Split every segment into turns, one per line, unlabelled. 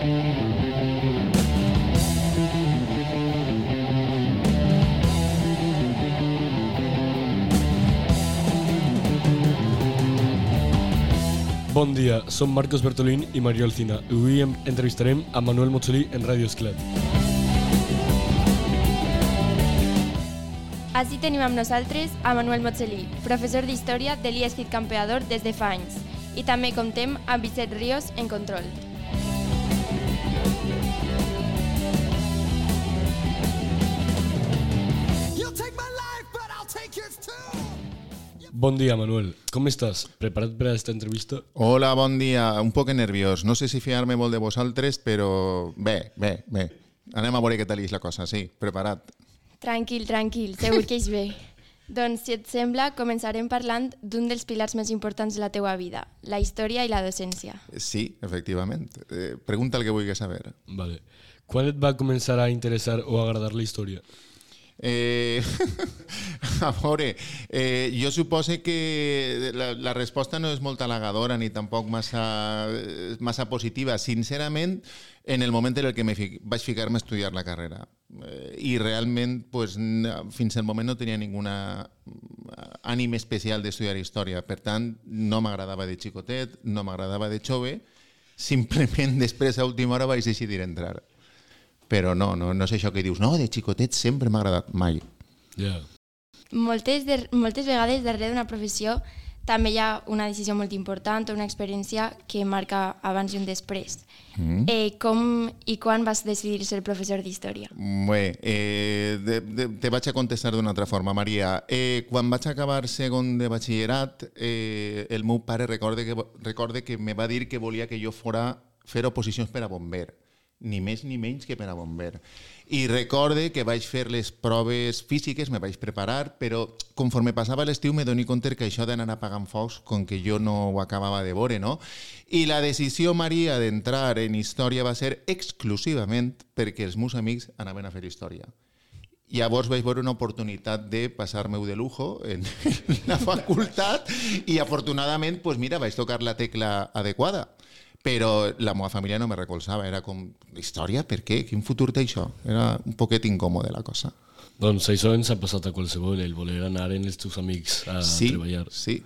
Bon dia, som Marcos Bertolín i Mario Alcina i avui entrevistarem a Manuel Motsolí en Ràdio Esclat.
Així tenim amb nosaltres a Manuel Motsolí, professor d'Història de l'IESCIT Campeador des de fa anys, i també comptem amb Vicent Ríos en control.
Bon dia, Manuel. Com estàs? Preparat per a aquesta entrevista?
Hola, bon dia. Un poc nerviós. No sé si fiar-me molt de vosaltres, però bé. Anem a veure què tal és la cosa, sí, preparat.
Tranquil, segur que és bé. Doncs, si et sembla, començarem parlant d'un dels pilars més importants de la teua vida, la història i la docència.
Sí, efectivament. Pregunta el que vulguis saber.
Vale. Quan et va començar a interessar o agradar la història?
A veure, jo suposo que la resposta no és molt halagadora ni tampoc massa positiva. Sincerament, en el moment en el que vaig ficar-me a estudiar la carrera. I realment, pues, fins al moment no tenia ninguna ànim especial d'estudiar història. Per tant, no m'agradava de xicotet, no m'agradava de jove. Simplement, després, a última hora, vaig decidir entrar. Però no és això que dius, no, de xicotet sempre m'ha agradat, mai.
Yeah.
Moltes vegades darrere d'una professió també hi ha una decisió molt important o una experiència que marca abans i un després. Com i quan vas decidir ser professor d'història?
Bé, te vaig a contestar d'una altra forma, Maria. Quan vaig acabar segon de batxillerat, el meu pare recorde que me va dir que volia que jo fora fer oposicions per a bomber. Ni més ni menys que per a bomber. I recorde que vaig fer les proves físiques, me vaig preparar, però conforme passava l'estiu me dono compte que això d'anar apagant focs, com que jo no ho acabava de veure, no? I la decisió, Maria, d'entrar en història va ser exclusivament perquè els meus amics anaven a fer història. Llavors vaig veure una oportunitat de passar-me-ho de lujo en la facultat i afortunadament, pues mira, vaig tocar la tecla adequada. Però la meva família no me recolzava, era com, història, per què? Quin futur té això? Era un poquet incòmode la cosa.
Doncs això ens ha passat a qualsevol, el voler anar amb els teus amics a treballar.
Sí.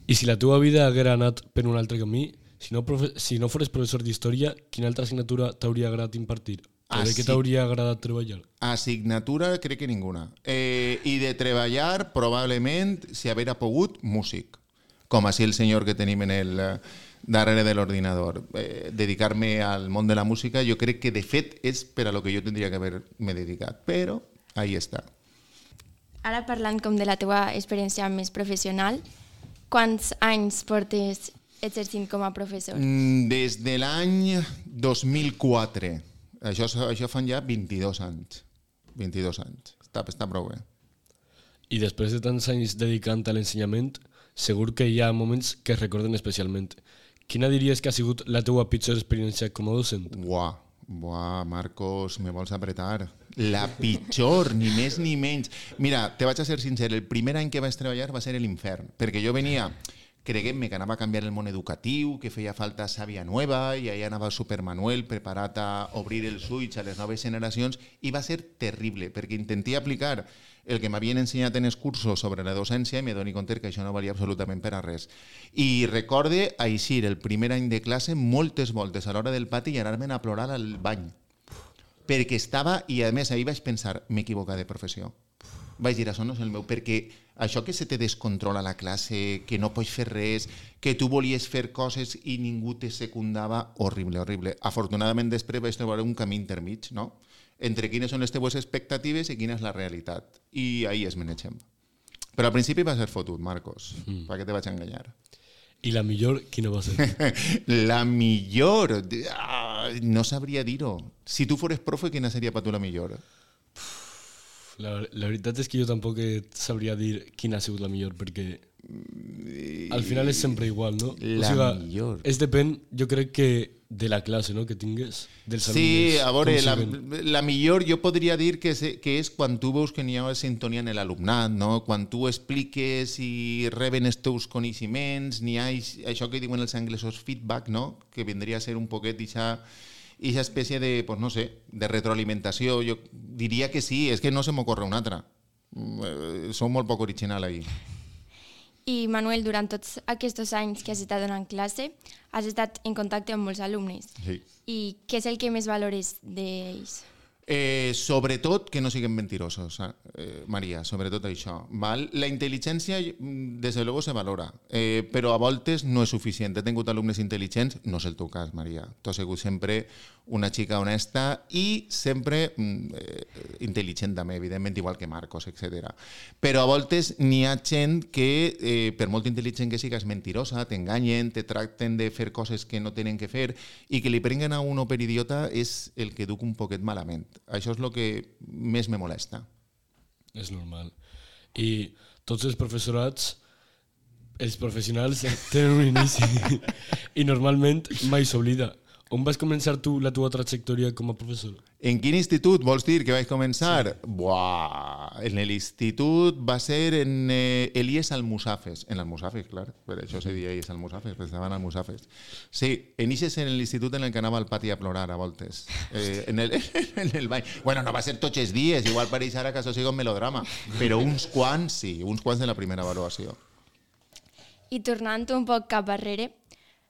I si la teva vida haguera anat per un altre camí, si no fores professor d'història, quina altra assignatura t'hauria agradat impartir? O de què t'hauria agradat treballar?
Assignatura crec que ninguna. I de treballar, probablement, si haguera pogut, músic. Com així el senyor que tenim en el darrere de l'ordinador. Dedicar-me al món de la música, jo crec que de fet és per a lo que jo tindria que haver-me dedicat, però ahí està.
Ara parlant com de la teva experiència més professional, quants anys portes exercint com a professor?
Des de l'any 2004. Això fan ja 22 anys. 22 anys. Està prou bé.
I després de tants anys dedicant a l'ensenyament, segur que hi ha moments que es recorden especialment. Quina diries que ha sigut la teua pitjor experiència com a docent?
Buah, Marcos, me vols apretar. La pitjor, ni més ni menys. Mira, te vaig a ser sincer, el primer any que vaig treballar va ser l'infern, perquè jo venia, creguem-me que anava a canviar el món educatiu, que feia falta sàvia nova, i allà anava Supermanuel preparat a obrir els ulls a les noves generacions, i va ser terrible, perquè intenté aplicar el que m'havien ensenyat en els cursos sobre la docència i me dono compte que això no valia absolutament per a res. I recorde eixir el primer any de classe moltes voltes a l'hora del pati i anar-me'n a plorar al bany. Perquè estava, i a més ahir vaig pensar, m'he equivocat de professió. Vaig dir, això no és el meu, perquè això que se te descontrola la classe, que no pots fer res, que tu volies fer coses i ningú te secundava, horrible. Afortunadament després vaig trobar un camí intermig, no? Entre quines són les teves expectatives i quina és la realitat. I ahí es manegem. Però al principi va ser fotut, Marcos. Per què te vaig enganyar?
I la millor, quina va ser?
La millor? No sabria dir-ho. Si tu fores profe, quina seria per tu la millor?
La veritat és que jo tampoc sabria dir quina ha sigut la millor, perquè al final és sempre igual, no?
Millor.
És depèn, jo crec que de la classe, no?, que tingues, dels alumnes.
Sí, a veure, la millor jo podria dir que és quan tu veus que n'hi ha sintonia en l'alumnat, no? Quan tu expliques i reben els teus coneixements, n'hi ha això que diuen els anglesos feedback, no? Que vindria a ser un poquet i aquesta espècie de, pues no sé, de retroalimentació, jo diria que sí, és que no se m'ocorre una altra. Sou molt poc original ahí.
I Manuel, durant tots aquests anys que has estat donant classe, has estat en contacte amb molts alumnes.
Sí.
I què és el que més valores d'ells?
Sobretot que no siguin mentirosos, Maria, sobretot això. Val? La intel·ligència, des de luego, se valora, però a voltes no és suficient. He tingut alumnes intel·ligents, no és el teu cas, Maria. Tu has sigut sempre una xica honesta i sempre intel·ligent també, evidentment, igual que Marcos, etc. Però a voltes n'hi ha gent que, per molt intel·ligent que sigues, mentirosa, t'enganyen, te tracten de fer coses que no tenen que fer i que li prenguen a uno per idiota és el que duc un poquet malament. Això és el que més me molesta.
És normal. I tots els professorats, els professionals tenen un inici i normalment mai s'oblida. On vas començar tu la teva trajectòria com a professor?
En quin institut vols dir que vaig començar? Sí. Buah, en l'institut va ser en Elies Almusafes. En l'Almusafes, clar, per això se deia Elies Almusafes, perquè estaven Almusafes. Sí, en l'institut en el que anava al pati a plorar a voltes. En el bany. Bueno, no va ser tots els dies, igual pareix ara que això sigui un melodrama, però uns quants sí, uns quants de la primera avaluació.
I tornant un poc cap arrere,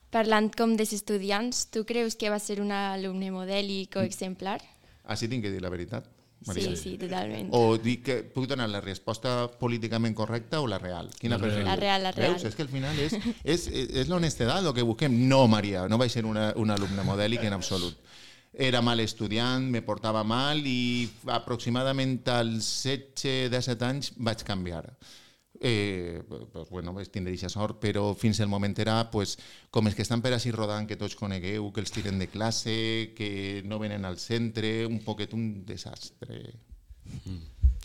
parlant com dels estudiants, tu creus que va ser un alumne modèlic o exemplar?
Així tinc que dir la veritat, Maria.
Sí, totalment.
O dic que puc donar la resposta políticament correcta o la real? Quina preferiu?
La real.
Veus? És que al final és l'honestedat el que busquem. No, Maria, no vaig ser un alumne modèlic en absolut. Era mal estudiant, me portava mal i aproximadament als 16-17 anys vaig canviar. Pues bueno, vaig tindre aquesta sort, però fins al moment era pues, com els que estan per així rodant, que tots conegueu, que els tiren de classe, que no venen al centre, un poquet un desastre.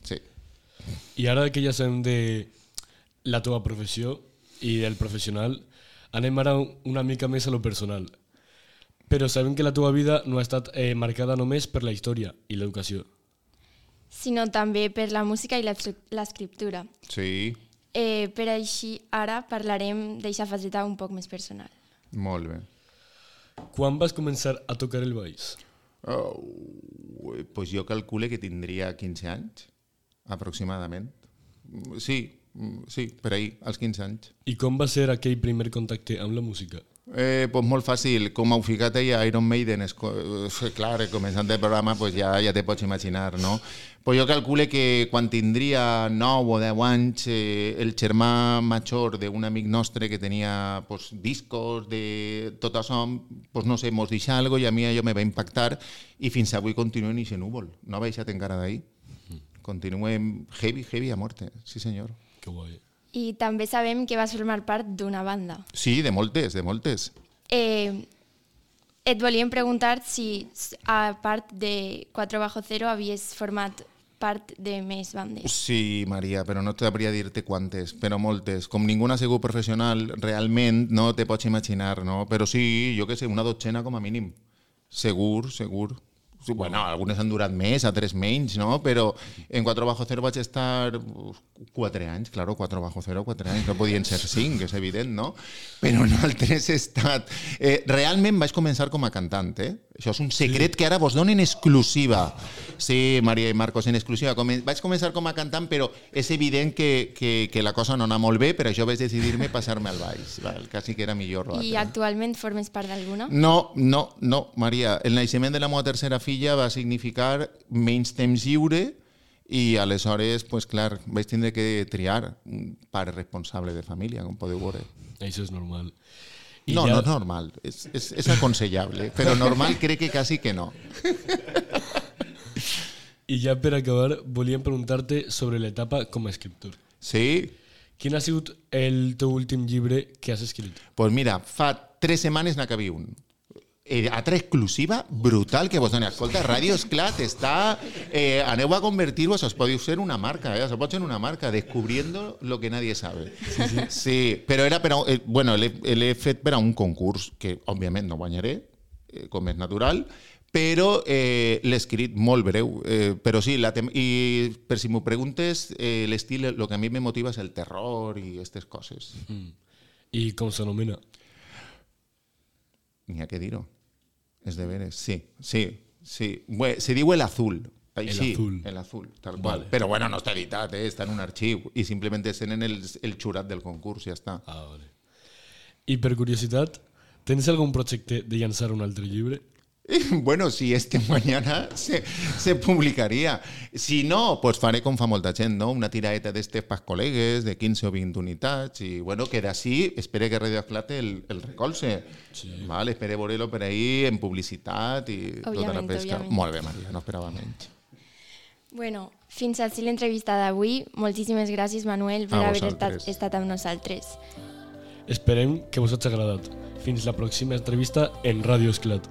Sí.
I ara que ja sabem de la teva professió i del professional, anem ara una mica més a lo personal. Però sabem que la teva vida no ha estat marcada només per la història i l'educació,
sinó també per la música i l'escriptura.
Sí.
Per així, ara parlarem d'aquesta faceta un poc més personal.
Molt bé.
Quan vas començar a tocar el baix?
Pues jo calcule que tindria 15 anys, aproximadament. Sí, per ahí, als 15 anys.
I com va ser aquell primer contacte amb la música?
Pues molt fàcil, com heu ficat ahí a Iron Maiden, clar, començant el programa pues ja te pots imaginar, no? Pues jo calcule que quan tindria 9 o 10 anys el germà major d'un amic nostre que tenia pues, discos de tot això, pues, no sé, mos deixa algo i a mi allò me va impactar i fins avui continuo en aquest núvol, no ha baixat encara d'ahí. Continuem heavy a muerte, sí senyor.
Que guai.
I també sabem que vas formar part d'una banda.
Sí, de moltes.
Et volíem preguntar si, a part de 4bajo0, havies format part de més bandes.
Sí, Maria, però no t'hauria dir-te quantes, però moltes. Com ningú ha sigut professional, realment no te pots imaginar, no? Però sí, jo què sé, una dotzena com a mínim. Segur. Bueno, algunes han durat més, altres menys, no? Però en 4bajo0 vaig estar 4 anys, claro, 4bajo0, 4 anys, no podien ser 5, és evident, no? Però en altres he estat... Realment vaig començar com a cantant, Això és un secret que ara vos dono en exclusiva. Sí, Maria i Marcos, en exclusiva. Vaig començar com a cantant, però és evident que la cosa no anava molt bé, per això vaig decidir-me passar-me al baix. Quasi que era millor.
I actualment formes part d'alguna?
No, Maria. El naixement de la meva tercera filla va significar menys temps lliure i aleshores, pues, clar, vaig tindre que triar un pare responsable de família, com podeu veure.
Això és normal.
No és normal, és aconsellable, però normal crec que quasi que no.
I ja per acabar, volíem preguntar-te sobre l'etapa com a escriptor.
Sí?
Quin ha sigut el teu últim llibre que has escrit?
Pues mira, fa 3 setmanes n'acabé un. Altra exclusiva brutal que vos doni. Escolta, Ràdio Esclat està... aneu a convertir-ho, això podeu ser una marca, això pot ser una marca, descubriendo lo que nadie sabe. Sí, però era per a... Bueno, l'he fet per a un concurs, que òbviament no guanyaré, com és natural, però l'he escrit molt breu. Però sí, i per si m'ho preguntes, l'estil, el que a mi me motiva és el terror i aquestes coses.
I com s'anomena?
N'hi ha que dir-ho. És de veres, sí. Se diu El Azul. Així, El Azul, tal qual. Però bueno, no està editat, està en un arxiu i simplement tenen el jurat del concurs, ja està.
Vale. I per curiositat, tens algun projecte de llançar un altre llibre?
Bueno, si es que mañana se publicaría. Si no, pues faré com fa molta gent, no? Una tiraeta d'estes pas col·legues de 15 o 20 unitats i bueno, que d'ací espere que Radio Esclate el recolze. Sí. Vale, espere veure-lo per ahí en publicitat i tota la pesca. Òbviament. Molt bé, Maria, no esperava menys.
Bueno, fins així l'entrevista d'avui. Moltíssimes gràcies, Manuel, per haver estat amb nosaltres.
Esperem que vos hagi agradat. Fins la pròxima entrevista en Radio Esclat.